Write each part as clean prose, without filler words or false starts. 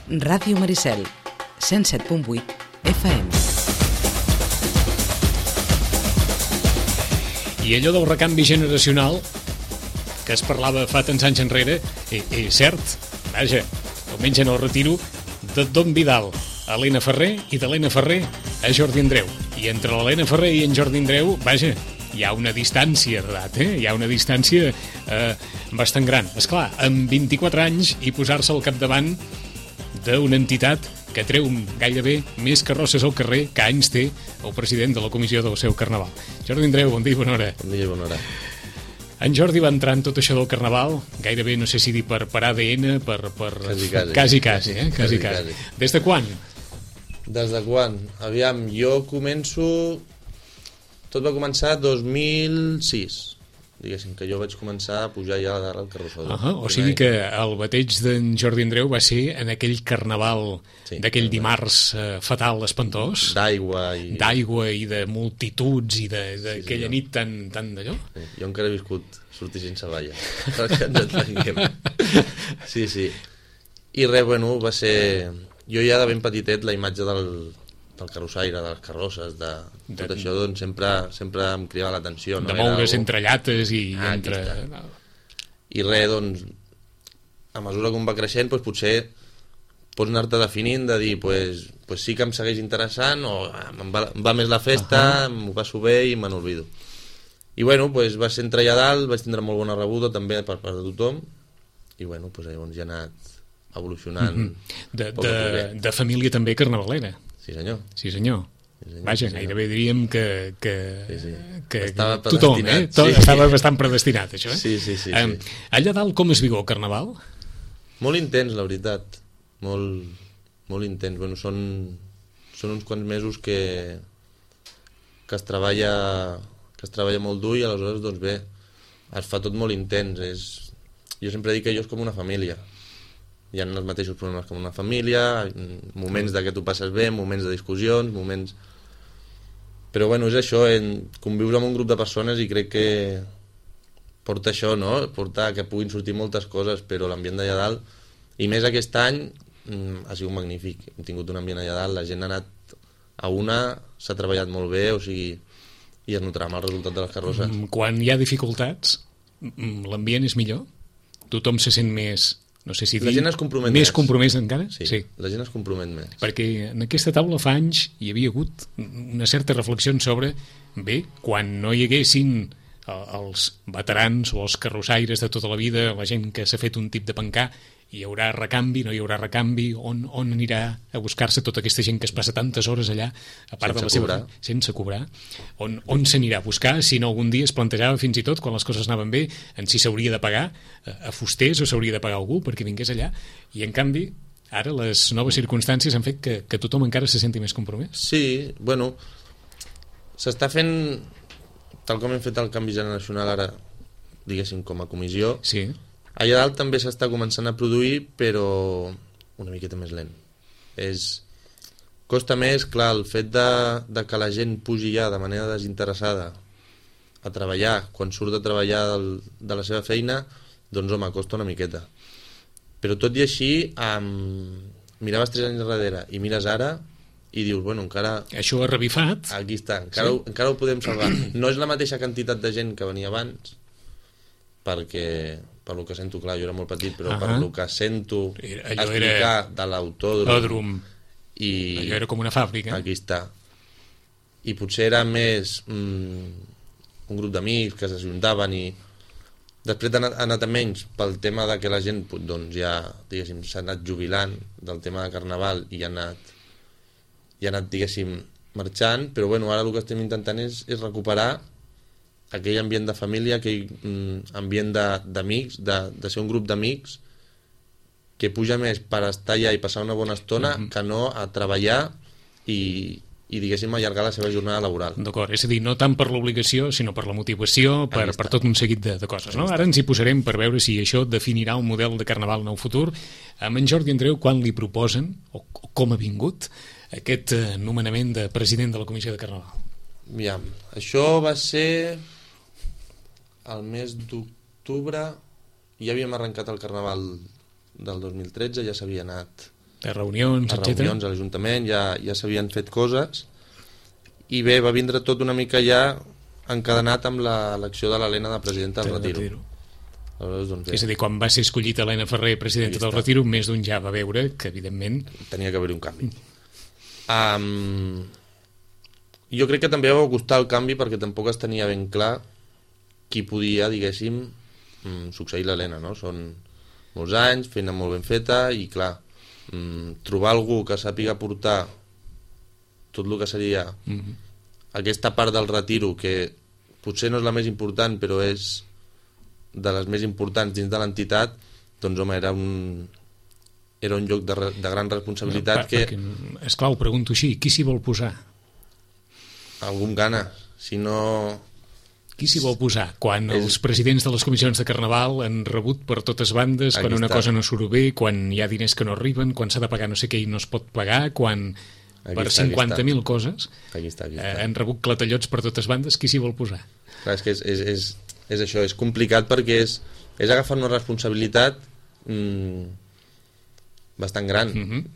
Ràdio Maricel, 107.8 FM. I allò del recanvi generacional que es parlava fa tants anys enrere, és cert. Vaja, diumenge en el retiro de Don Vidal a Helena Ferrer i d'Helena Ferrer a Jordi Andreu. I entre l'Helena Ferrer i en Jordi Andreu, vaja, hi ha una distància d'edat, hi ha una distància bastant gran. Esclar, amb 24 anys i posar-se al capdavant d'una entitat que treu gairebé més carrosses al carrer que anys té el president de la comissió del seu carnaval. Jordi Andreu, bon dia i bona hora. Bon dia i bona hora. En Jordi va entrar en tot això del carnaval, gairebé, no sé si dir per ADN, Quasi. Des de quan? Des de quan? Aviam, jo començo... Tot va començar 2006, diguéssim, que jo vaig començar a pujar ja al carrossó. O sigui que el bateig d'en Jordi Andreu va ser en aquell carnaval d'aquell dimarts fatal, espantós. D'aigua i de multituds i d'aquella nit tan d'allò. Sí, jo encara he viscut sortir sense balla, perquè ens entenguem. Sí. I res, bueno, va ser... Jo ja de ben petitet la imatge del carrossaire, de les carrosses, de tot això, doncs sempre em cridava l'atenció. De moure's entre llates i entre... I res, doncs, a mesura que va creixent, doncs potser pots anar-te definint de dir, pues sí que em segueix interessant, o em va més la festa, m'ho passo bé i me n'olvido. I bueno, pues va ser entrar allà dalt, vaig tindre molt bona rebuda també per part de tothom, i bueno, pues llavors ja he anat evolucionant. De família també carnavalera. Sí, senyor. Sí, senyor. Vaja, gairebé diríem que estava tothom, estava bastant predestinat, això, Sí. Allà dalt com es viu el carnaval? Molt intens, la veritat. Molt intens. Bueno, són uns quants mesos que es treballa molt dur i aleshores, doncs bé, es fa tot molt intens. Jo sempre dic que allò és com una família. Hi ha els mateixos problemes com una família, moments de que tu passes bé, moments de discussions, moments... Però bueno, és això, convius amb un grup de persones i crec que porta això, no? Porta que puguin sortir moltes coses, però l'ambient d'allà dalt, i més aquest any, ha sigut magnífic. Hem tingut un ambient allà dalt, la gent ha anat a una, s'ha treballat molt bé, o sigui, i es notarà amb el resultat de les carrosses. Quan hi ha dificultats, l'ambient és millor? Tothom se sent més... No sé si la gent es compromet més compromès encara? Sí, la gent es compromet més. Perquè en aquesta taula fa anys hi havia hagut una certa reflexió sobre, bé, quan no hi haguessin els veterans o els carrossaires de tota la vida, la gent que s'ha fet un tip de pencar, hi haurà recanvi, no hi haurà recanvi, on anirà a buscar-se tota aquesta gent que es passa tantes hores allà, a part de la seva... Sense cobrar. On s'anirà a buscar, si no algun dia es plantejava fins i tot, quan les coses anaven bé, en si s'hauria de pagar a fusters o s'hauria de pagar algú perquè vingués allà, i en canvi ara les noves circumstàncies han fet que tothom encara se senti més compromès. Sí, bueno, s'està fent, tal com hem fet el canvi generacional ara, diguéssim, com a comissió, sí. Allà dalt també s'està començant a produir, però una miqueta més lent. Costa més, clar, el fet de que la gent pugi ja de manera desinteressada a treballar, quan surt de treballar de la seva feina, doncs home, costa una miqueta. Però tot i així, miraves 3 anys darrere i mires ara i dius, bueno, encara... Això ha revifat. Aquí està, encara ho podem salvar. No és la mateixa quantitat de gent que venia abans, perquè... per lo que sento, clar, jo era molt petit, però per lo que sento explicar de l'autòdrom i... Allò era com una fàbrica. Aquí està. I potser era més un grup d'amics que s'ajuntaven i després ha anat a menys pel tema de que la gent doncs ja, diguéssim, s'ha anat jubilant del tema de carnaval i ha anat, diguéssim, marxant, però bueno, ara el que estem intentant és recuperar aquell ambient de família, aquell ambient d'amics, de ser un grup d'amics que puja més per estar allà i passar una bona estona que no a treballar i diguéssim allargar la seva jornada laboral. D'acord, és a dir, no tant per l'obligació sinó per la motivació, per tot un seguit de coses, no? Ara ens hi posarem per veure si això definirà un model de carnaval en el futur. Amb en Jordi Andreu, quan li proposen o com ha vingut aquest nomenament de president de la Comissió de Carnaval? Aviam, això va ser el mes d'octubre, ja havíem arrencat el carnaval del 2013, ja s'havia anat de reunions, a etc. reunions a l'Ajuntament, ja s'havien fet coses, i bé, va vindre tot una mica ja encadenat amb l'elecció de l'Helena de presidenta del Retiro. Aleshores, doncs, És a dir, quan va ser escollit Helena Ferrer presidenta del Retiro, més d'un ja va veure que, evidentment... Tenia que haver-hi un canvi. Jo crec que també va costar el canvi perquè tampoc es tenia ben clar qui podia, diguéssim, succeir l'Helena, no? Són molts anys, feina molt ben feta, i clar, trobar algú que sàpiga portar tot el que seria aquesta part del Retiro, que potser no és la més important, però és de les més importants dins de l'entitat, doncs home, era un lloc de gran responsabilitat que... Esclar, ho pregunto així, qui s'hi vol posar? Algú amb ganes, si no... Qui s'hi vol posar? Quan els presidents de les comissions de Carnaval han rebut per totes bandes, quan una cosa no surt bé, quan hi ha diners que no arriben, quan s'ha de pagar no sé què i no es pot pagar, quan per 50.000 coses aquí està. Han rebut clatellots per totes bandes, qui s'hi vol posar? Clar, és que és això, és complicat perquè és agafar una responsabilitat bastant gran.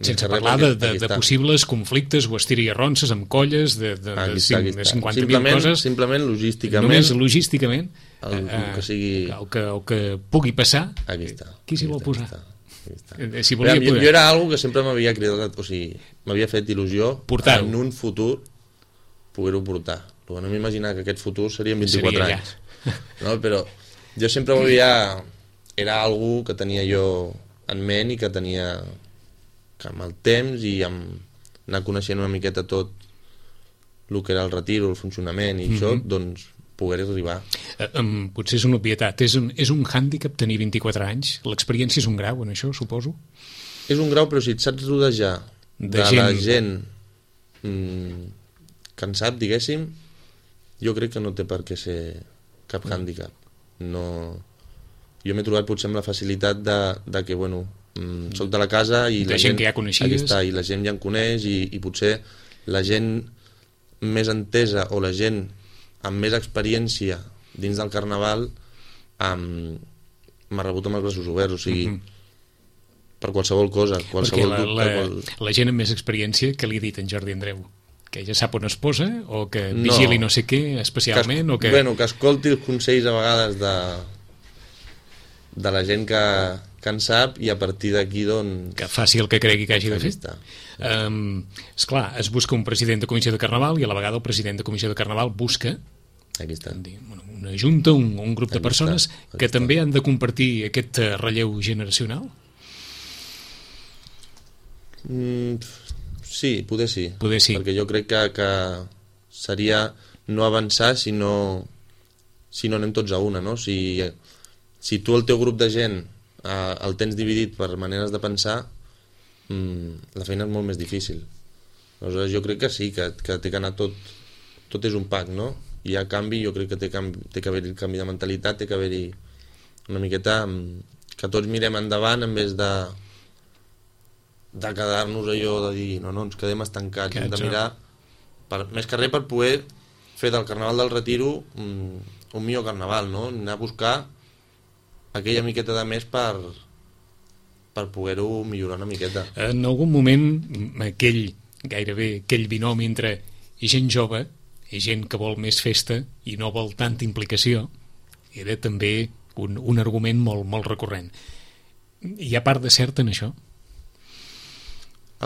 Sense parlar de possibles conflictes o estira i arronses amb colles de 50.000 coses. Simplement logísticament. Només logísticament. El que pugui passar. Aquí està. Qui s'hi vol posar? Si jo era algo que sempre m'havia cridat, o sigui, m'havia fet il·lusió en un futur poder-ho portar. No m'imaginava que aquest futur seria en 24 anys. No? Però jo sempre era algo que tenia jo en ment i que tenia que amb el temps i amb anar coneixent una miqueta tot el que era el Retiro, el funcionament i això, doncs poder arribar. Potser és una obvietat. És un hàndicap tenir 24 anys? L'experiència és un grau en això, suposo? És un grau, però si et saps rodejar de la gent que en sap, diguéssim, jo crec que no té per què ser cap hàndicap. No... Jo m'he trobat potser amb la facilitat de que, bueno, soc de la casa i la gent que ja coneixies. I la gent ja em coneix i potser la gent més entesa o la gent amb més experiència dins del Carnaval m'ha rebut amb els braços oberts, o sigui, per qualsevol cosa, qualsevol dubte. La gent amb més experiència, que li ha dit en Jordi Andreu? Que ja sap on es posa? O que vigili no sé què especialment? Bueno, que escolti els consells a vegades de la gent que en sap i a partir d'aquí doncs... Que faci el que cregui que hagi de fer. Esclar, es busca un president de comissió de Carnaval i a la vegada el president de comissió de Carnaval busca una junta, un grup de persones que també han de compartir aquest relleu generacional? Sí, poder sí. Perquè jo crec que seria no avançar si no anem tots a una, no? Si tu el teu grup de gent el tens dividit per maneres de pensar, la feina és molt més difícil. Aleshores jo crec que sí, que té que anar tot és un pack, no? Hi ha canvi, jo crec que té que haver-hi canvi de mentalitat, té que haver-hi una miqueta que tots mirem endavant en vez de quedar-nos allò de dir no, ens quedem estancats, hem de mirar més que res per poder fer del Carnaval del Retiro un millor carnaval, no? Anar a buscar aquella miqueta de més per poder-ho millorar una miqueta. En algun moment gairebé aquell binomi entre gent jove i gent que vol més festa i no vol tanta implicació era també un argument molt, molt recurrent. Hi ha part de cert en això?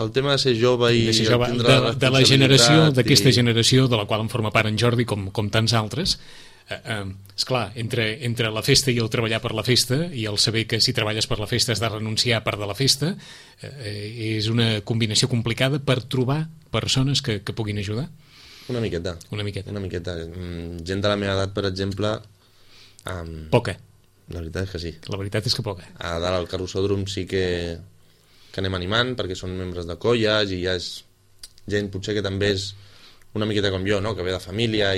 El tema de ser jove i de la generació, d'aquesta generació de la qual en forma part en Jordi com tants altres, esclar, entre la festa i el treballar per la festa i el saber que si treballes per la festa has de renunciar a part de la festa, és una combinació complicada per trobar persones que puguin ajudar. Una miqueta. Gent de la meva edat, per exemple, poca. La veritat és que sí. La veritat és que poca. A dalt al carrossòdrom sí que anem animant perquè són membres de colles i ja és gent potser que també és una miqueta com jo, no? Que ve de família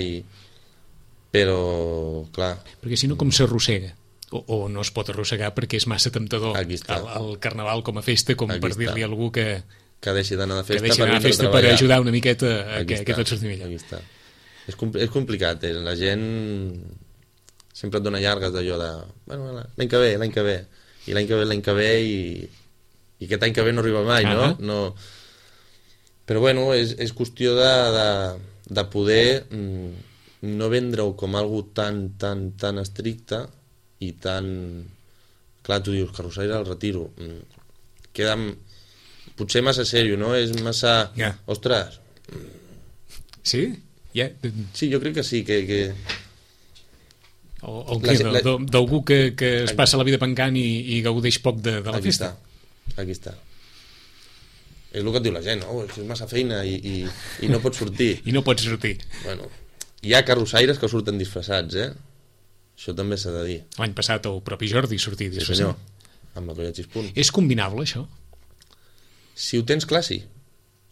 però clar, perquè si no com s'arrossega o no es pot arrossegar perquè és massa temptador el Carnaval com a festa com per dir-li a algú que deixi d'anar de festa per ajudar una miqueta que tot surti millor. És complicat, la gent sempre et dona llargues d'allò de l'any que ve i l'any que ve i aquest any que ve no arriba mai, no? Però bueno, és qüestió de poder no vendre-ho com algo tan estricte i tan... Clar, tu dius, carrossaire al retiro. Queda potser massa sèrio, no? És massa... Ostres! Sí? Sí, jo crec que sí, que... O d'algú que es passa la vida pencant i gaudeix poc de la festa. Aquí està. És el que et diu la gent, no? És massa feina i no pots sortir. I no pots sortir. Bueno, hi ha carrossaires que surten disfressats, Això també s'ha de dir. L'any passat el propi Jordi sortia disfressat. Sí, senyor, amb la colla Xispunt. És combinable, això? Si ho tens clar, sí.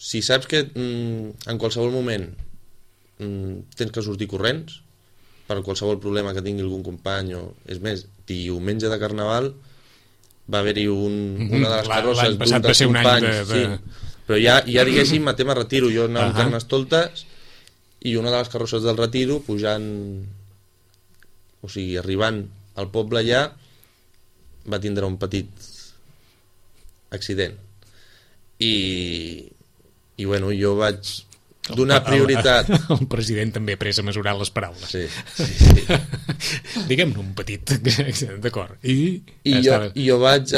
Si saps que en qualsevol moment tens que sortir corrents per qualsevol problema que tingui algun company és més, diumenge de Carnaval va haver-hi una de les carrosses d'un dels companys sí, però ja diguéssim a tema retiro, jo anava amb Carnestoltes i una de les carrosses del retiro pujant, o sigui arribant al poble allà va tindre un petit accident i bueno, jo vaig donar prioritat. El president també ha pres a mesurar les paraules. Sí. Diguem-ne un petit accident, d'acord. I jo vaig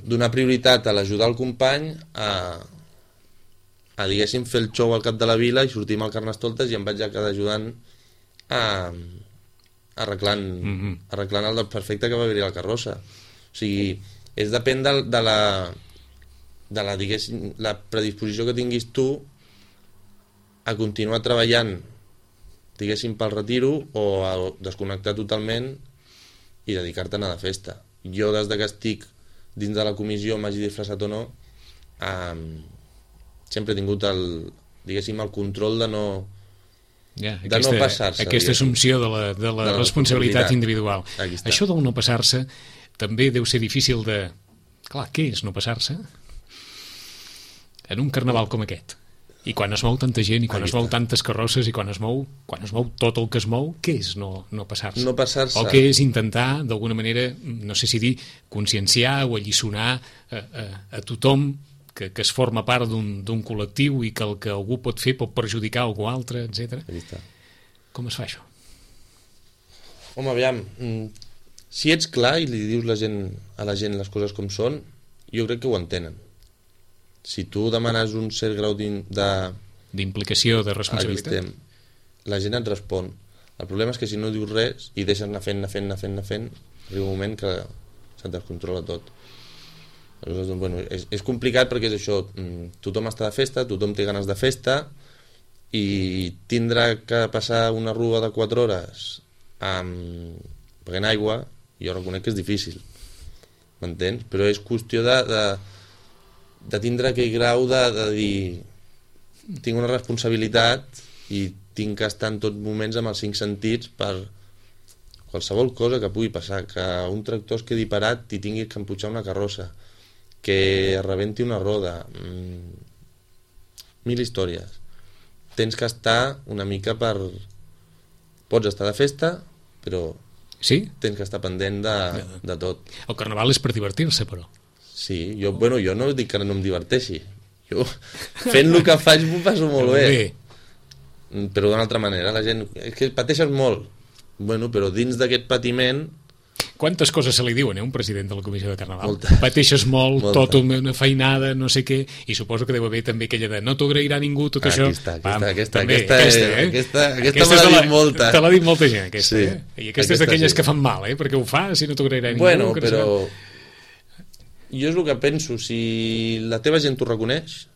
donar prioritat a l'ajudar el company a diguéssim fer el show al cap de la vila i sortir amb el Carnestoltes i em vaig quedar ajudant arreglant el desperfecte que va haver-hi a la carrossa. O sigui, depèn de la diguéssim, la predisposició que tinguis tu a continuar treballant diguéssim pel retiro o a desconnectar totalment i dedicar-te a anar de festa. Jo des que estic dins de la comissió, m'hagi disfressat o no, sempre he tingut el control de no passar-se. Aquesta assumpció de la responsabilitat individual. Això del no passar-se també deu ser difícil de... Clar, què és no passar-se? En un carnaval com aquest. I quan es mou tanta gent, i quan es mou tantes carrosses, i quan es mou tot el que es mou, què és no passar-se? No passar-se. O què és intentar, d'alguna manera, no sé si dir, conscienciar o alliçonar a tothom que es forma part d'un col·lectiu i que el que algú pot fer pot perjudicar algú altre, etc. Com es fa això? Home, aviam, si ets clar i li dius a la gent les coses com són, jo crec que ho entenen. Si tu demanes un cert grau d'implicació, de responsabilitat, la gent et respon. El problema és que si no dius res i deixes anar fent, arriba un moment que se't descontrola tot. Aleshores, doncs, bueno, és complicat perquè és això, tothom està de festa, tothom té ganes de festa i tindrà que passar una rua de 4 hores pagant aigua, jo reconec que és difícil, m'entens? Però és qüestió de tindre aquell grau de dir tinc una responsabilitat i tinc que estar en tots moments amb els 5 sentits per qualsevol cosa que pugui passar, que un tractor es quedi parat i tinguis que empujar una carrossa, que es rebenti una roda, 1000 històries. Tens que estar una mica pots estar de festa, però tens que estar pendent de tot. El carnaval és per divertir-se, però. Sí, jo no dic que no em diverteixi. Jo, fent el que faig, m'ho passo molt bé. Però d'una altra manera, la gent... És que pateixes molt. Bueno, però dins d'aquest patiment... Quantes coses se li diuen, un president de la Comissió de Carnaval? Molta. Pateixes molt, tota una feinada, no sé què, i suposo que deu haver també aquella de no t'ho agrairà ningú, tot això. Aquesta me l'ha dit molta. Te l'ha dit molta gent, aquesta. I aquesta és d'aquelles que fan mal, perquè ho fa, si no t'ho agrairà ningú. Bueno, però... Jo és el que penso, si la teva gent t'ho reconeix,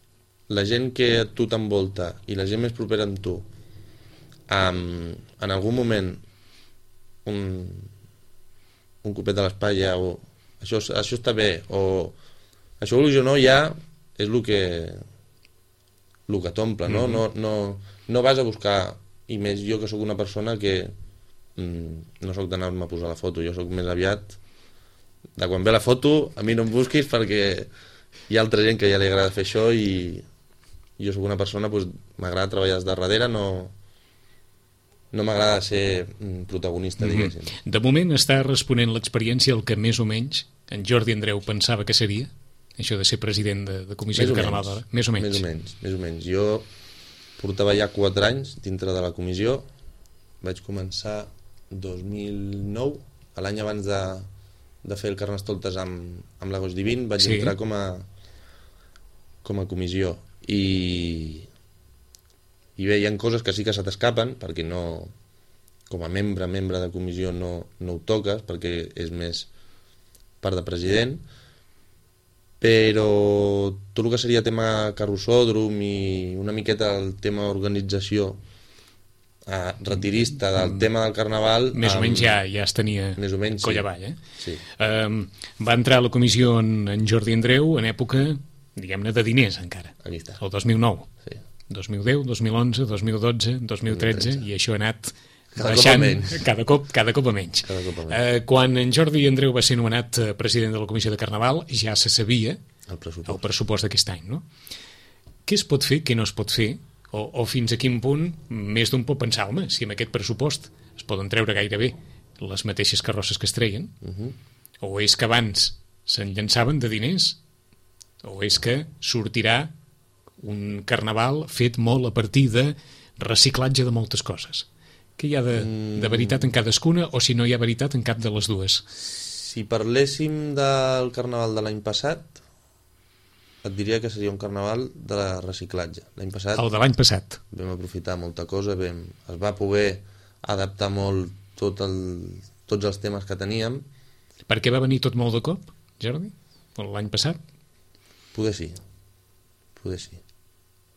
la gent que a tu t'envolta i la gent més propera amb tu en algun moment un copet a l'espatlla o això està bé o això vulguis o no ja és el que t'omple, no? No vas a buscar, i més jo que sóc una persona que no sóc d'anar-me a posar la foto, jo sóc més aviat de quan ve la foto, a mi no em busquis perquè hi ha altra gent que ja li agrada fer això i jo sóc una persona, doncs, m'agrada treballar des de darrere, no m'agrada ser protagonista, diguéssim. De moment està responent l'experiència el que més o menys en Jordi Andreu pensava que seria? això de ser president de comissió de Carnaval? Més o menys. Més o menys. Jo portava ja 4 anys dintre de la comissió. Vaig començar 2009, l'any abans de fer el Carnestoltes amb l'Agost Divin, vaig entrar com a comissió. I bé, hi ha coses que sí que se t'escapen, perquè no, com a membre de comissió no ho toques, perquè és més part de president, però tot el que seria tema carrossòdrom i una miqueta el tema organització retirista del tema del Carnaval... Més o menys ja es tenia coll avall, Sí. Va entrar a la comissió en Jordi Andreu en època, diguem-ne, de diners encara. Aquí està. El 2009. Sí. 2010, 2011, 2012, 2013, i això ha anat baixant cada cop a menys. Quan en Jordi Andreu va ser nomenat president de la comissió de Carnaval, ja se sabia el pressupost d'aquest any, no? Què es pot fer, què no es pot fer, o fins a quin punt més d'un pot pensar, home, si amb aquest pressupost es poden treure gairebé les mateixes carrosses que es treien, o és que abans se'n llançaven de diners, o és que sortirà un Carnaval fet molt a partir de reciclatge de moltes coses. Què hi ha de veritat en cadascuna, o si no hi ha veritat en cap de les dues? Si parléssim del Carnaval de l'any passat, et diria que seria un Carnaval de reciclatge. L'any passat... El de l'any passat. Vam aprofitar molta cosa, es va poder adaptar molt tots els temes que teníem. Per què va venir tot molt de cop, Jordi? L'any passat? Poder sí.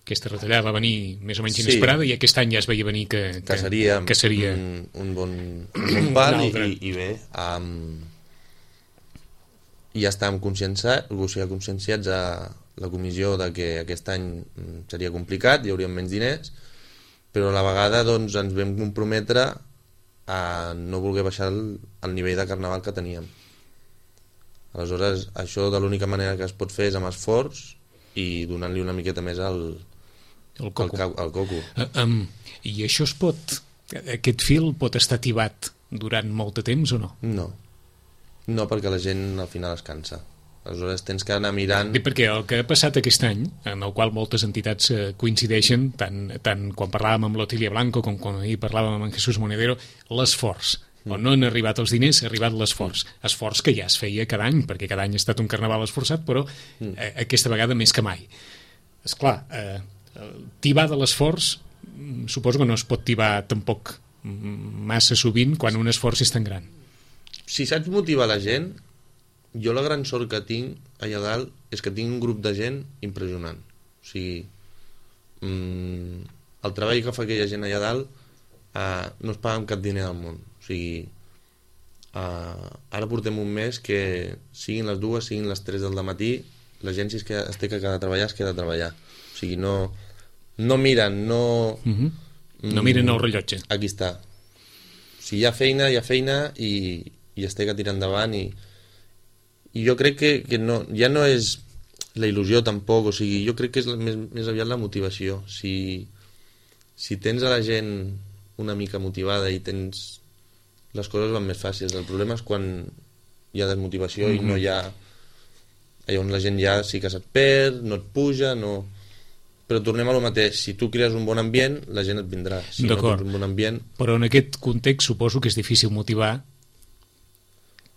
Aquesta retallada va venir més o menys inesperada, i aquest any ja es veia venir que seria un bon pal, i bé, ja estàvem conscienciats a la comissió de que aquest any seria complicat, hi hauríem menys diners, però a la vegada doncs, ens vam comprometre a no voler baixar el nivell de Carnaval que teníem. Aleshores, això de l'única manera que es pot fer és amb esforç i donant-li una miqueta més al coco. I això aquest fil pot estar tibat durant molt de temps o no? No, perquè la gent al final es cansa. Aleshores tens que anar mirant... Perquè el que ha passat aquest any, en el qual moltes entitats coincideixen, tant quan parlàvem amb l'Otilia Blanco com quan ahir parlàvem amb en Jesús Monedero, l'esforç. On no han arribat els diners, ha arribat l'esforç. Esforç que ja es feia cada any, perquè cada any ha estat un Carnaval esforçat, però aquesta vegada més que mai. Esclar, tibar de l'esforç suposo que no es pot tibar tampoc massa sovint quan un esforç és tan gran. Si saps motivar la gent, jo la gran sort que tinc allà dalt és que tinc un grup de gent impressionant. O sigui, el treball que fa aquella gent allà dalt no es paga amb cap diner del món. O sigui, ara portem un mes que siguin les 2, siguin les 3 del matí, la gent si es té que quedar a treballar, es queda a treballar. O sigui, no miren, no miren el rellotge. Aquí està. Si hi ha feina i es té que tirar endavant, i jo crec que no, ja no és la il·lusió tampoc, o sigui, jo crec que és més aviat la motivació. Si tens a la gent una mica motivada i les coses van més fàcils. El problema és quan hi ha desmotivació i no hi ha... Allà on la gent ja sí que se't perd, no et puja, no... Però tornem a lo mateix, si tu crees un bon ambient, la gent et vindrà. Si no tens un bon ambient... Però en aquest context suposo que és difícil motivar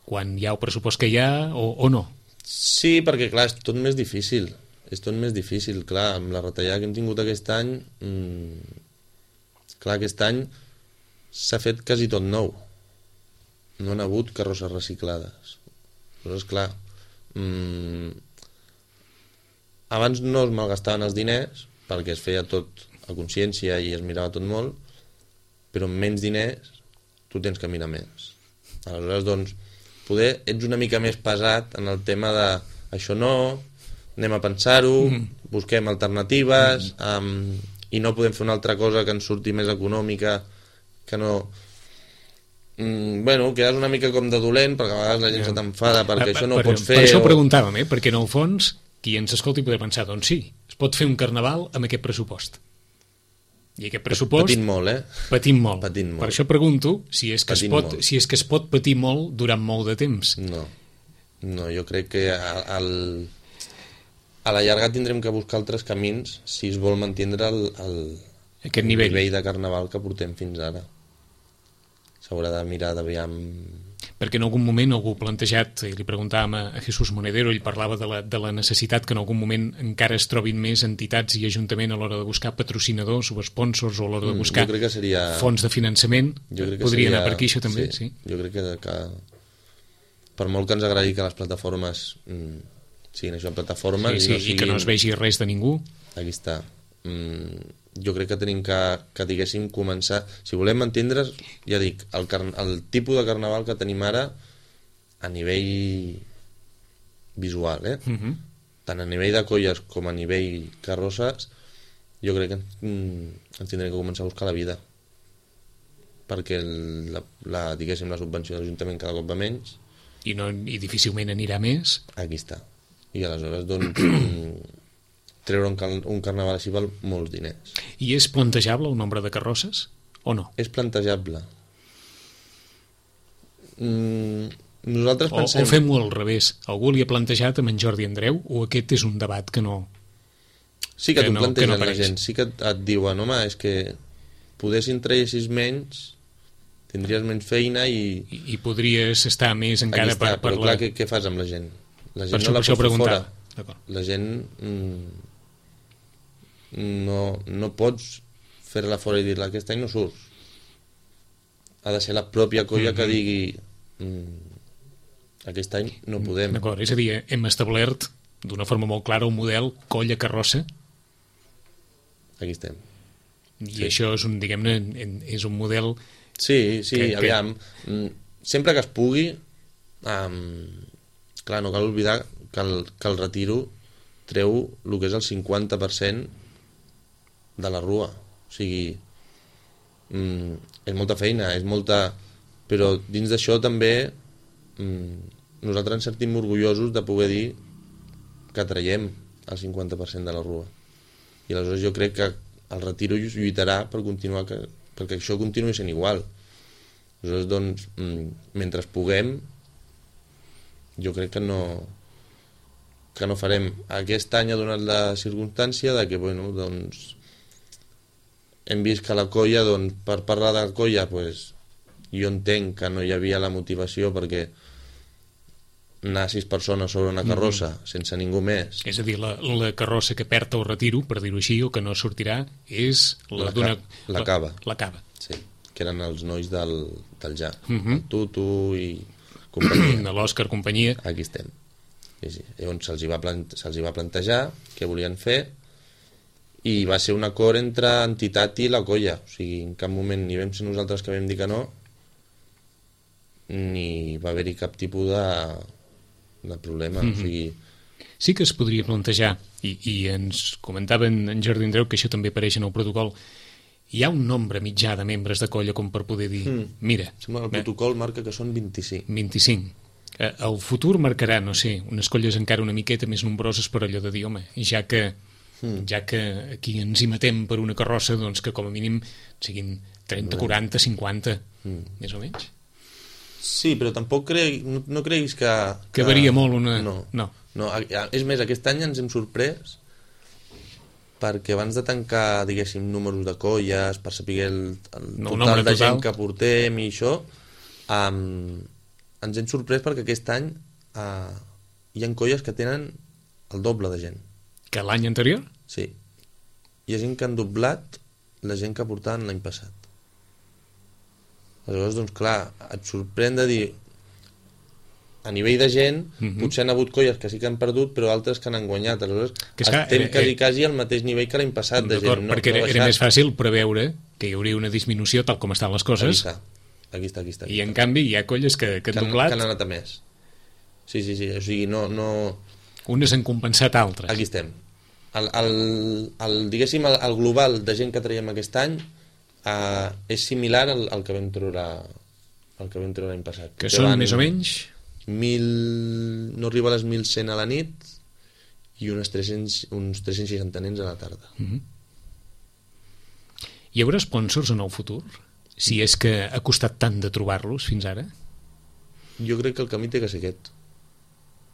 quan hi ha el pressupost que hi ha o no. Sí, perquè clar, és tot més difícil. Clar, amb la retallada que hem tingut aquest any, clar, aquest any s'ha fet quasi tot nou. No han hagut carrosses reciclades. Llavors, clar, abans no es malgastaven els diners perquè es feia tot a consciència i es mirava tot molt, però amb menys diners tu tens que mirar més. Aleshores, doncs, poder ets una mica més pesat en el tema de això no, anem a pensar-ho, busquem alternatives, i no podem fer una altra cosa que ens surti més econòmica, que no... Bueno, quedes una mica com de dolent, perquè a vegades la gent se t'enfada perquè això no ho pots fer. Per això ho preguntàvem, perquè en el fons qui ens escolti podria pensar, doncs sí, es pot fer un carnaval amb aquest pressupost. I aquest pressupost... Patint molt, Patint molt. Per això pregunto si és que es pot patir molt durant molt de temps. No, jo crec que a la llarga tindrem que buscar altres camins si es vol mantindre aquest nivell de carnaval que portem fins ara. S'haurà de mirar d'aviam... Perquè en algun moment algú ha plantejat, i li preguntàvem a Jesús Monedero, ell parlava de la necessitat que en algun moment encara es trobin més entitats i ajuntament a l'hora de buscar patrocinadors o sponsors o a l'hora de buscar fons de finançament. Podria anar per aquí això també? Sí. Jo crec que per molt que ens agradi que les plataformes siguin això, plataformes... I que no es vegi res de ningú. Aquí està. Jo crec que tenim que diguéssim, començar... Si volem entendre's, ja dic, el tipus de carnaval que tenim ara a nivell visual, tant a nivell de colles com a nivell carrosses, jo crec que ens tindrem que començar a buscar la vida. Perquè diguéssim, la subvenció de l'Ajuntament cada cop va menys. I difícilment anirà més. Aquí està. I aleshores, doncs... treure un carnaval així val molts diners. I és plantejable el nombre de carrosses o no? És plantejable. Nosaltres pensem... O fem-ho al revés. Algú li ha plantejat amb en Jordi Andreu o aquest és un debat que no... Sí que t'ho plantegen la gent. Sí que et diuen, home, és que podessin traguessis menys, tindries menys feina i podries estar més encara per però clar, què fas amb la gent? La gent no la pots fer fora. La gent... No pots fer-la fora i dir-la aquest any no surts. Ha de ser la pròpia colla que digui aquest any no podem. D'acord, és a dir, hem establert d'una forma molt clara un model colla-carrossa. Aquí estem. I això és un, diguem-ne, és un model... Sí, aviam. Sempre que es pugui, clar, no cal oblidar que el retiro treu el que és el 50% de la rua. O sigui, és molta feina, és molta... Però dins d'això també nosaltres ens sentim orgullosos de poder dir que traiem el 50% de la rua. I aleshores jo crec que el retiro lluitarà per continuar perquè això continuï sent igual. Aleshores, doncs, mentre puguem, jo crec que no farem. Aquest any ha donat la circumstància de que, bueno, doncs, hem vist que la colla, doncs, per parlar de la colla, pues, jo entenc que no hi havia la motivació perquè anar 6 persones sobre una carrossa sense ningú més. És a dir, la carrossa que perd el retiro, per dir-ho així, o que no sortirà, és la cava. La cava. Sí, que eren els nois del ja. El Tutu i companyia. De l'Òscar, companyia. Aquí estem. Sí. Llavors se'ls va plantejar què volien fer i va ser un acord entre entitat i la colla. O sigui, en cap moment ni vam ser nosaltres que vam dir que no, ni va haver-hi cap tipus de problema. O sigui... Sí que es podria plantejar, i ens comentaven en Jordi Andreu que això també apareix en el protocol, hi ha un nombre mitjà de membres de colla com per poder dir, mira... El protocol marca que són 25. 25. El futur marcarà, no sé, unes colles encara una miqueta més nombroses per allò de dir, home, ja que aquí ens hi matem per una carrossa, doncs que com a mínim siguin 30, 40, 50, més o menys. Sí, però tampoc no creguis que... Que varia molt una... No. És més, aquest any ens hem sorprès perquè abans de tancar, diguéssim, números de colles, per saber el total de gent que portem i això, ens hem sorprès perquè aquest any hi ha colles que tenen el doble de gent. Que l'any anterior? Sí. Hi ha gent que han doblat la gent que portaven l'any passat. Aleshores, doncs clar, et sorprèn de dir a nivell de gent, potser han hagut colles que sí que han perdut, però altres que han guanyat. Aleshores, estem quasi al mateix nivell que l'any passat de gent. Perquè era més fàcil preveure que hi hauria una disminució tal com estan les coses. Aquí està. I en canvi hi ha colles que han doblat... Que han anat a més. Sí. O sigui, no... Unes han compensat altres. Aquí estem. Diguéssim, el global de gent que traiem aquest any és similar al que vam treure l'any passat. Que són més o menys... 1.000, no arriba a les 1.100 a la nit i uns 360 nens a la tarda. Hi haurà sponsors en el futur? Si és que ha costat tant de trobar-los fins ara? Jo crec que el camí té que ser aquest.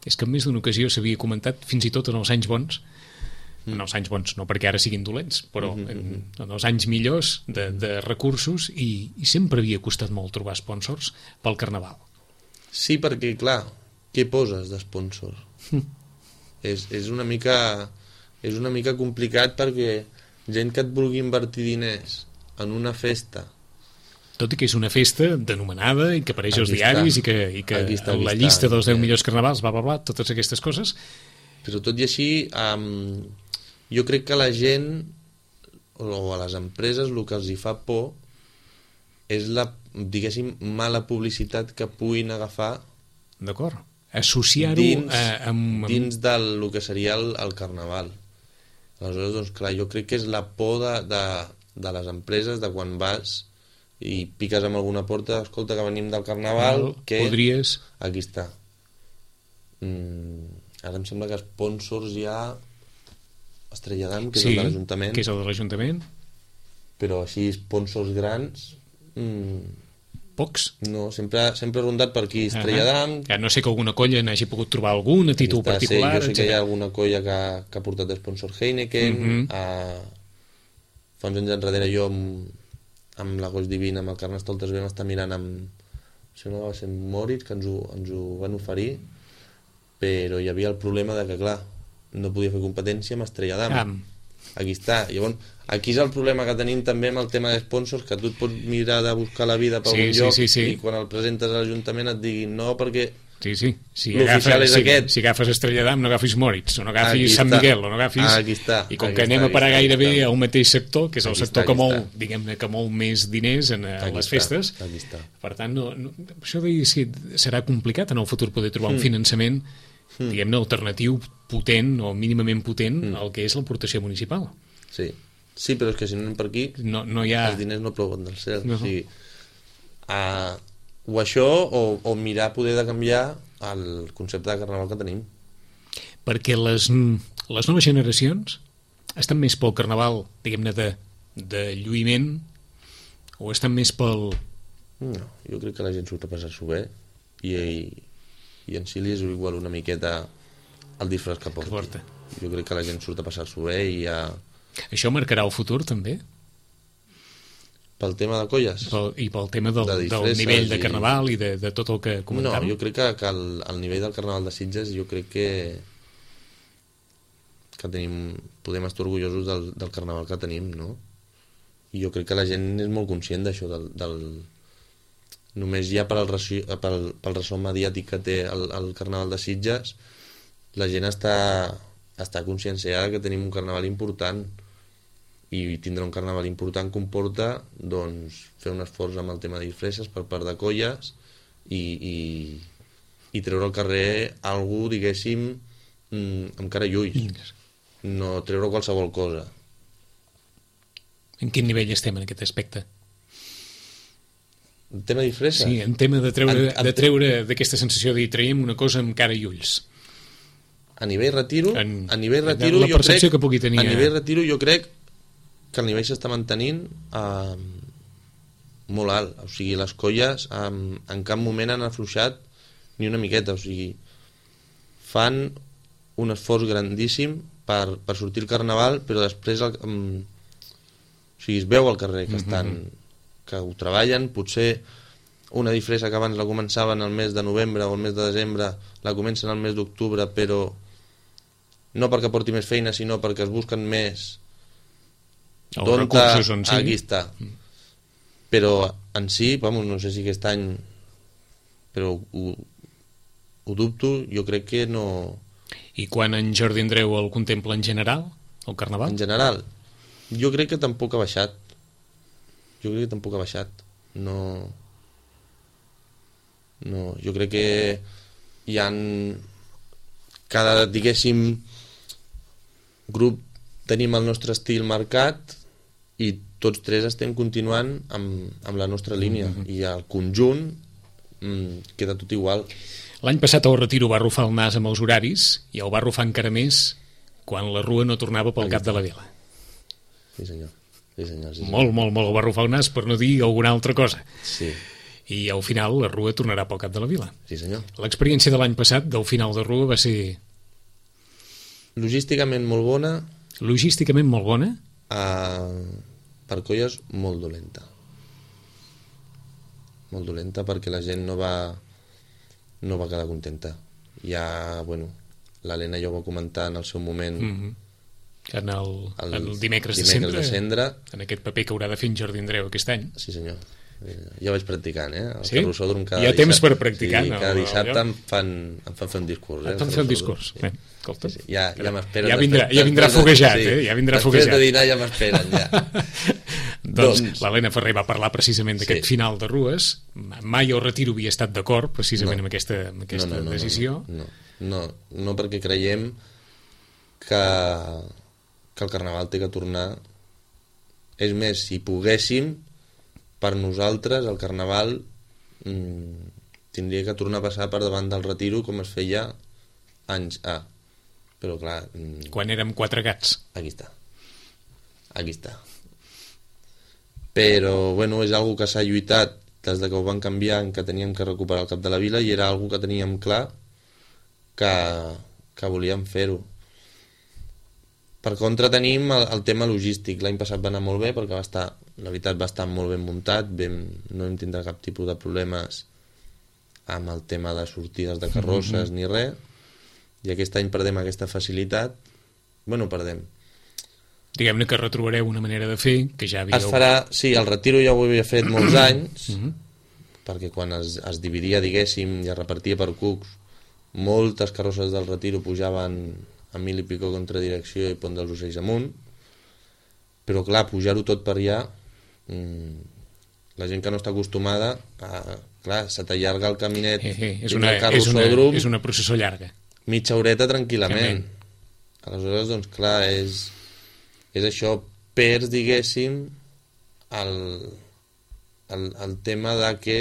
és que en més d'una ocasió s'havia comentat, fins i tot en els anys bons, en els anys bons, no perquè ara siguin dolents, però en els anys millors de recursos, i sempre havia costat molt trobar sponsors pel Carnaval. Sí, perquè, clar, què poses d'esponsor? És una mica complicat, perquè gent que et vulgui invertir diners en una festa, tot i que és una festa denomenada i que apareix als diaris i que la llista dels 10 millors carnavals, bla, bla, bla, totes aquestes coses. Però tot i així, jo crec que a la gent o a les empreses el que els hi fa por és la, diguéssim, mala publicitat que puguin agafar. D'acord. Associar-ho dins del que seria el Carnaval. Aleshores, doncs clar, jo crec que és la por de les empreses, de quan vas i piques amb alguna porta, escolta, que venim del Carnaval, que... Podries... Aquí està. Ara em sembla que sponsors hi ha Estrella d'Am, que és el de l'Ajuntament. Que és el de l'Ajuntament. Però així, sponsors grans... Pocs? No, sempre he rondat per aquí, Estrella d'Am... Ja no sé que alguna colla n'hagi pogut trobar algun a títol particular. Sí, jo sé que hi ha alguna colla que ha portat sponsor Heineken, fa uns anys enrere jo amb la Goix Divina, amb el Carnestoltes vam estar mirant amb, això no va ser Moritz, que ens ho van oferir, però hi havia el problema de que, clar, no podia fer competència amb Estrella d'Am. Aquí està. Llavors, aquí és el problema que tenim també amb el tema de sponsors, que tu et pots mirar de buscar la vida per un lloc i quan el presentes a l'Ajuntament et diguin no, perquè l'oficial és aquest. Si agafes Estrella d'Am, no agafis Moritz, o no agafis Sant Miguel, o no agafis... Aquí està. I com que anem a parar gairebé a un mateix sector, que és el sector que mou, diguem-ne, que mou més diners a les festes, per tant, això serà complicat en el futur poder trobar un finançament, diguem-ne, alternatiu, potent o mínimament potent al que és l'aportació municipal. Sí, però és que si no anem per aquí, no hi ha... els diners no plouen del cel. O sigui, o això o mirar poder de canviar el concepte de Carnaval que tenim. Perquè les noves generacions estan més pel Carnaval, diguem-ne, de lluïment, o estan més pel... No, jo crec que la gent surt a passar-s'ho bé i en si li és igual una miqueta el disfraç que porta. Jo crec que la gent surt a passar-s'ho bé i Això marcarà el futur, també? Pel tema de colles? I pel tema del nivell de Carnaval i de tot el que comentàvem? No, jo crec que el nivell del Carnaval de Sitges, jo crec que podem estar orgullosos del Carnaval que tenim, no? I jo crec que la gent és molt conscient d'això, només ja pel ressò mediàtic que té el Carnaval de Sitges, la gent està conscienciada que tenim un Carnaval important, i tindre un Carnaval important comporta doncs, fer un esforç amb el tema de disfresses per part de colles i treure al carrer algú, diguéssim, amb cara i ulls, no treure qualsevol cosa. En quin nivell estem en aquest aspecte? En tema de disfresses? Sí, en tema de treure d'aquesta sensació de dir traiem una cosa amb cara i ulls. A nivell retiro, la percepció que pugui tenir... A nivell retiro jo crec que el nivell s'està mantenint molt alt, o sigui, les colles en cap moment han afluixat ni una miqueta, o sigui, fan un esforç grandíssim per sortir al Carnaval, però després o sigui, es veu al carrer que que ho treballen. Potser una disfressa que abans la començaven el mes de novembre o el mes de desembre la comencen el mes d'octubre, però no perquè porti més feina, sinó perquè es busquen més recursos on sí. Aquí està. Però en si, no sé si aquest any, però ho dubto, jo crec que no... I quan en Jordi Andreu el contempla en general, el Carnaval? En general, jo crec que tampoc ha baixat. No, jo crec que hi ha cada, diguéssim, grup tenim el nostre estil marcat i tots tres estem continuant amb la nostra línia i el conjunt queda tot igual. L'any passat el Retiro va arrufar el nas amb els horaris i el va arrufar encara més quan la Rua no tornava pel cap de la vila. Sí senyor. Molt, molt, molt el va arrufar el nas, per no dir alguna altra cosa. Sí. i al final la Rua tornarà pel cap de la vila. Sí, senyor. L'experiència de l'any passat, del final de Rua, va ser Logísticament molt bona, logísticament molt bona. per colles molt dolenta. Molt dolenta perquè la gent no va quedar contenta. Ja, l'Helena ja ho va comentar en el seu moment, En el dimecres de Cendra, en aquest paper que haurà de fer en Jordi Andreu aquest any. Sí, senyor. Jo vaig practicant, el Sí? carrossòdrom Hi ha temps per practicar, sí, no? cada dissabte em fan fer un discurs. Et fan fer un discurs. Bé, escolta. Sí. Ja m'esperen. Ja vindrà foguejat, ja vindrà foguejat. Després de dinar ja m'esperen, ja. Doncs l'Helena Ferrer va parlar precisament d'aquest final de Rues. Mai el Retiro havia estat d'acord precisament amb aquesta decisió. No, perquè creiem que el Carnaval té que tornar. És més, si poguéssim, per nosaltres el Carnaval tindria que tornar a passar per davant del Retiro com es feia anys A. Però clar... Quan érem 4 gats. Aquí està. Però, és algo que s'ha lluitat des de que ho van canviar, en que teníem que recuperar el cap de la vila, i era algo que teníem clar que volíem fer-ho. Per contra tenim el tema logístic. L'any passat va anar molt bé perquè la veritat va estar molt ben muntat, no vam tindre cap tipus de problemes amb el tema de sortides de carrosses ni res, i aquest any perdem aquesta facilitat. Perdem. Diguem-ne que retrobareu una manera de fer que ja havíeu... Es farà, sí, el Retiro ja ho havia fet molts anys, perquè quan es dividia, diguéssim, i es repartia per cucs, moltes carrosses del Retiro pujaven a 1000 i pico contra direcció i Pont dels Ocells amunt, però clar, pujar-ho tot per allà, la gent que no està acostumada, clar, se t'allarga el caminet és una processó llarga, mitja horeta tranquil·lament. Aleshores, doncs clar, és això, perds, diguéssim, el tema de que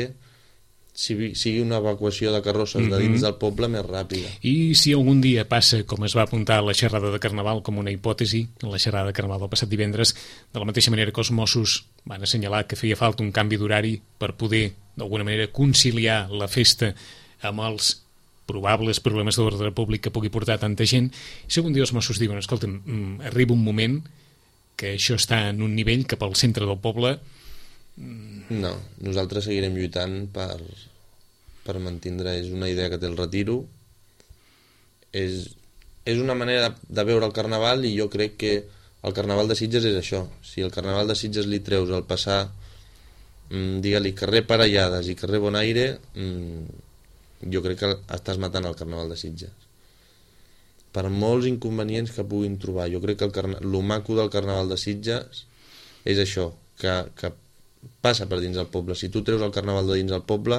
sigui una evacuació de carrosses de dins del poble més ràpida. I si algun dia passa, com es va apuntar a la xerrada de Carnaval com una hipòtesi, en la xerrada de Carnaval del passat divendres, de la mateixa manera que els Mossos van assenyalar que feia falta un canvi d'horari per poder, d'alguna manera, conciliar la festa amb els probables problemes d'ordre públic que pugui portar tanta gent, si algun dia els Mossos diuen, escolta'm, arriba un moment que això està en un nivell que pel centre del poble... No, nosaltres seguirem lluitant per mantindre. És una idea que té el Retiro, és una manera de veure el Carnaval, i jo crec que el Carnaval de Sitges és això. Si el Carnaval de Sitges li treus el passar, digue-li carrer Parellades i carrer Bonaire, jo crec que estàs matant el Carnaval de Sitges. Per molts inconvenients que puguin trobar, jo crec que lo maco del Carnaval de Sitges és això, que passa per dins del poble. Si tu treus el Carnaval de dins del poble,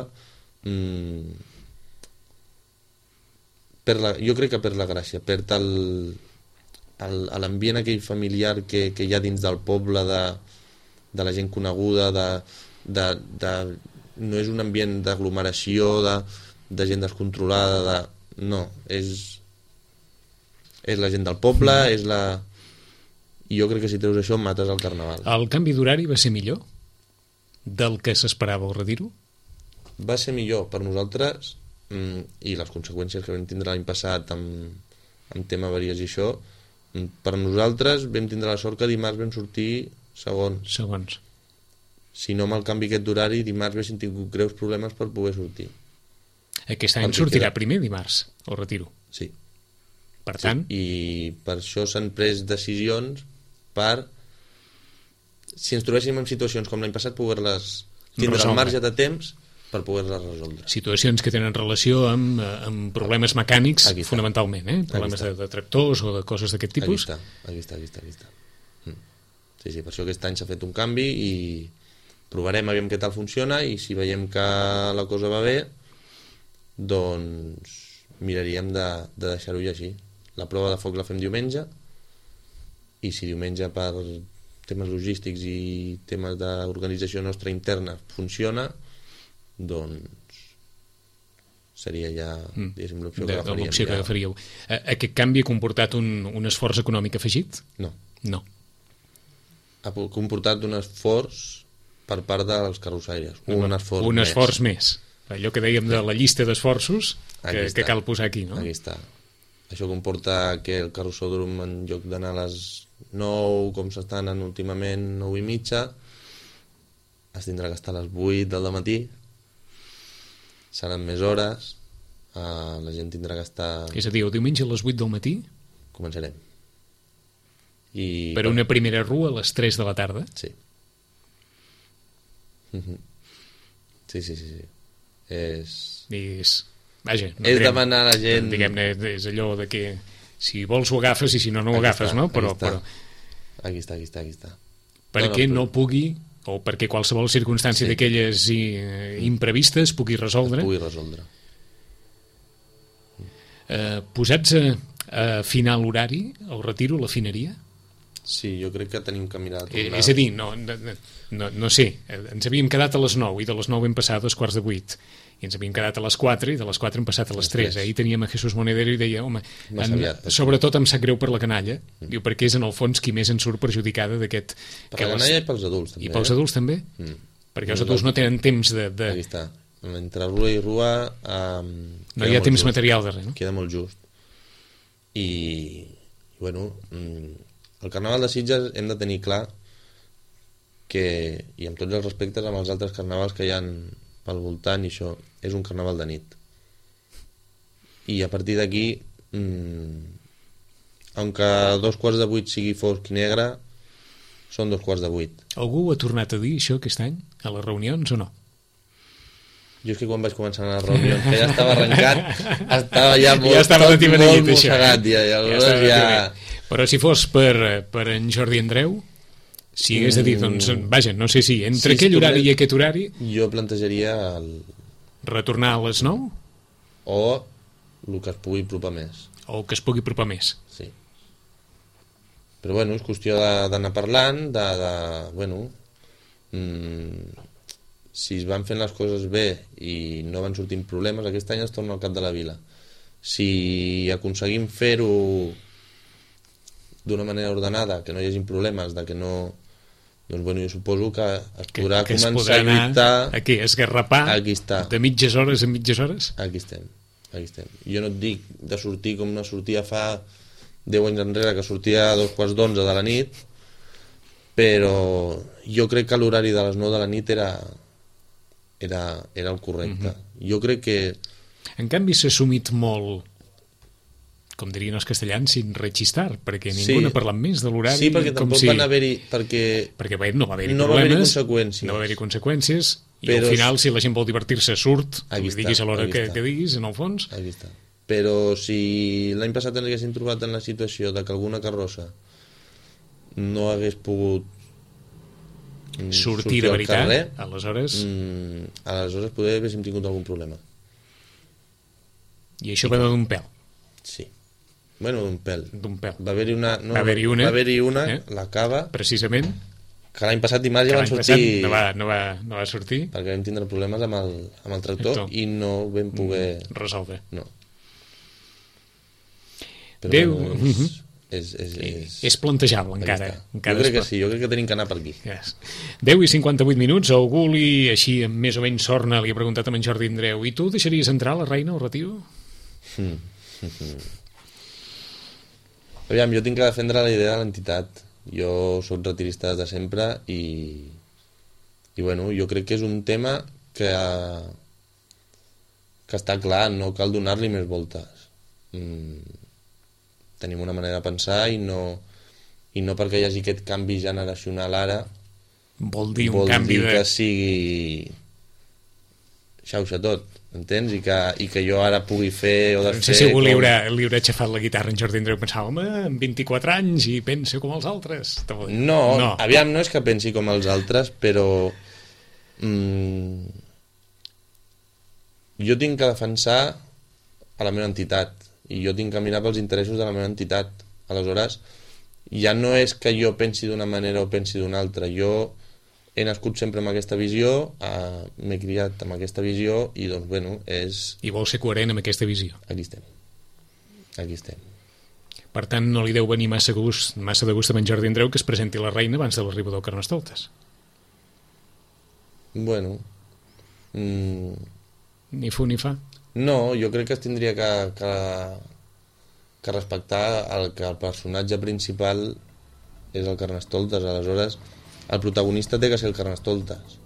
jo crec que perd la gràcia, perd l'ambient aquell familiar que hi ha dins del poble, de la gent coneguda, no és un ambient d'aglomeració, de gent descontrolada, no, és la gent del poble, i jo crec que si treus això mates el Carnaval. El canvi d'horari va ser millor del que s'esperava al Retiro? Va ser millor per nosaltres, i les conseqüències que vam tindre l'any passat amb tema avaries i això, per nosaltres vam tindre la sort que dimarts vam sortir segons. Si no, amb el canvi aquest d'horari, dimarts haguéssim tingut greus problemes per poder sortir. Aquest any sortirà primer dimarts al Retiro? Sí. Per tant... I per això s'han pres decisions per, si ens trobéssim en situacions com l'any passat, poder-les tindre el marge de temps per poder-les resoldre. Situacions que tenen relació amb problemes mecànics, fonamentalment, problemes de tractors o de coses d'aquest tipus. Aquí està. Sí, per això aquest any s'ha fet un canvi i provarem aviam què tal funciona, i si veiem que la cosa va bé, doncs miraríem de deixar-ho així. La prova de foc la fem diumenge, i si diumenge per temes logístics i temes d'organització nostra interna funciona, doncs seria ja l'opció que agafaríem. L'opció que agafaríeu. Aquest canvi ha comportat un esforç econòmic afegit? No. No. Ha comportat un esforç per part dels carrossaires. Un esforç més. Allò que dèiem de la llista d'esforços que cal posar aquí, no? Aquí està. Això comporta que el carrossòdrom, en lloc d'anar a les 9, com s'està anant últimament, 9 i mitja, es tindrà que estar a les 8 del matí, seran més hores, la gent tindrà que estar... És a dir, el diumenge a les 8 del matí? Començarem. Per una primera rua a les 3 de la tarda? Sí. Sí. Vaja, és demanar a la gent... Diguem-ne, és allò de que si vols ho agafes i si no, no ho agafes, no? Però... Aquí està. Perquè no pugui, o perquè qualsevol circumstància d'aquelles imprevistes pugui resoldre. Posats a afinar l'horari, el retiro, l'afineria? Sí, jo crec que tenim que mirar... És a dir, no sé, ens havíem quedat a les 9 i de les 9 hem passat a 7:45 i ens havíem quedat a les 4 i de les 4 hem passat a les 3. Ahir teníem a Jesús Monedero i deia, home, sobretot em sap greu per la canalla, diu, perquè és en el fons qui més en surt perjudicada d'aquest... Per la canalla i pels adults també. I pels adults també? Perquè els adults no tenen temps de... Aquí està, entre rua i rua... No hi ha temps material darrere, no? Queda molt just. I bueno, el Carnaval de Sitges hem de tenir clar que, i amb tots els respectes amb els altres carnavals que hi ha pel voltant, i això és un carnaval de nit, i a partir d'aquí aunque 7:45 sigui fosc i negre, són 7:45. Algú ho ha tornat a dir això aquest any a les reunions o no? Jo és que quan vaig començar a les reunions, que ja estava arrencat, estava ja molt mossegat ja. Però si fos per en Jordi Andreu, si hagués de dir, doncs, vaja, no sé si entre aquell horari i aquest horari... Jo plantejaria retornar a les 9? O el que es pugui apropar més. O que es pugui apropar més. Sí. Però bueno, és qüestió d'anar parlant, bueno... si es van fent les coses bé i no van sortint problemes, aquest any es torna al cap de la vila. Si aconseguim fer-ho d'una manera ordenada, que no hi hagi problemes, de que no... Doncs bueno, jo suposo que es podrà començar a lluitar... Aquí, esgarrapar aquí està. De mitges hores en mitges hores? Aquí estem. Jo no et dic de sortir com no sortia fa 10 anys enrere, que sortia a 11:15 de la nit, però jo crec que l'horari de les 9 de la nit era el correcte. Jo crec que... En canvi s'ha assumit molt, com dirien els castellans, sin rechistar, perquè ningú n'ha parlat més de l'horari. Sí, perquè tampoc van haver-hi... Perquè bé, no va haver-hi problemes, no va haver-hi conseqüències, i al final, si la gent vol divertir-se, surt, li diguis a l'hora que diguis, en el fons. Aquí està. Però si l'any passat ens haguéssim trobat en la situació de que alguna carrossa no hagués pogut sortir de veritat, carrer, aleshores poder haguéssim tingut algun problema. I això va d'un pèl. Sí. Bueno, d'un pèl. Va haver-hi una, la cava... Precisament. Que l'any passat dimarts ja van sortir... No va sortir. Perquè vam tindre problemes amb el tractor i no vam poder... resoldre. No. Però Déu... Bueno, és plantejable encara. Jo crec que sí, jo crec que tenim que anar per aquí. 10:58, algú així amb més o menys sorna li ha preguntat a en Jordi Andreu: i tu deixaries entrar la reina al retiro? Aviam, jo tinc que defendre la idea de l'entitat. Jo soc retirista des de sempre i bueno, jo crec que és un tema que està clar, no cal donar-li més voltes. Tenim una manera de pensar i no perquè hi hagi aquest canvi generacional ara vol dir que sigui xauxa tot, entens? I que jo ara pugui fer o desfer... No sé si algú li haurà aixafat la guitarra en Jordi Andreu i pensava, home, amb 24 anys i pensa com els altres. No, aviam, no és que pensi com els altres, però jo tinc que defensar a la meva entitat i jo tinc que mirar pels interessos de la meva entitat. Aleshores, ja no és que jo pensi d'una manera o pensi d'una altra. Jo he nascut sempre amb aquesta visió, m'he criat amb aquesta visió i doncs, bueno, és... I vol ser coherent amb aquesta visió. Aquí estem. Per tant, no li deu venir massa de gust a en Jordi Andreu que es presenti la reina abans de l'arribada del Carnestoltes. No, aviam, no és que pensi com els altres, però... jo tinc que defensar a la meva entitat i jo tinc que mirar pels interessos de la meva entitat. Aleshores, ja no és que jo pensi d'una manera o pensi d'una altra. Jo he nascut sempre amb aquesta visió, m'he criat amb aquesta visió i doncs, bueno, és... I vol ser coherent amb aquesta visió. Per tant, no li deu venir massa de gust Bueno... Ni fu ni fa. No, jo crec que es tindria que respectar que el personatge principal és el Carnestoltes, aleshores el protagonista té que ser el Carnestoltes.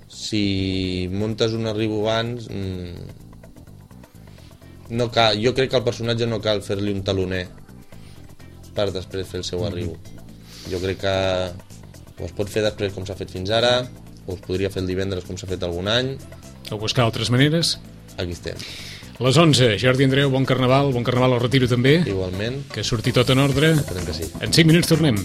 Si muntes un arribo abans, no cal, jo crec que al personatge no cal fer-li un taloner per després fer el seu arribo. Jo crec que ho es pot fer després com s'ha fet fins ara, o es podria fer el divendres com s'ha fet algun any. O buscar altres maneres. Aquí estem. Les 11, Jordi Andreu, bon carnaval al retiro també. Igualment. Que surti tot en ordre. Esperem que sí. En 5 minuts tornem.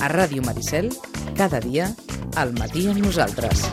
A Ràdio Maricel, cada dia, al matí amb nosaltres.